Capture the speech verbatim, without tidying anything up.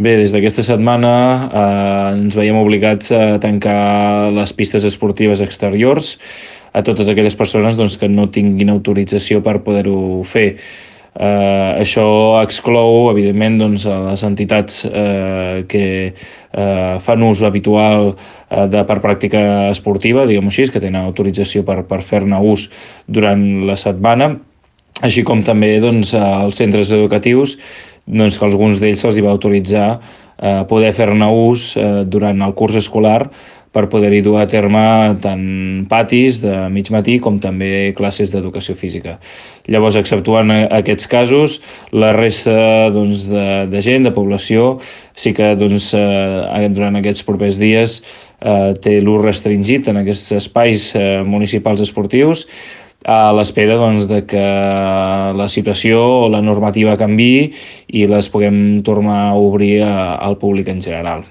Bé, des d'aquesta setmana eh, ens veiem obligats a tancar les pistes esportives exteriors a totes aquelles persones doncs, que no tinguin autorització per poder-ho fer. Eh, això exclou, evidentment, doncs, a les entitats eh, que eh, fan ús habitual eh, de, per pràctica esportiva, diguem-ho així, que tenen autorització per, per fer-ne ús durant la setmana, així com també doncs, als centres educatius, doncs, que alguns d'ells se'ls hi va autoritzar eh, poder fer-ne ús eh, durant el curs escolar per poder-hi dur a terme tant patis de mig matí com també classes d'educació física. Llavors, exceptuant aquests casos, la resta doncs, de, de gent, de població, sí que doncs, eh, durant aquests propers dies eh, té l'ús restringit en aquests espais eh, municipals esportius, a l'espera doncs, de que la situació o la normativa canviï i les puguem tornar a obrir a, al públic en general.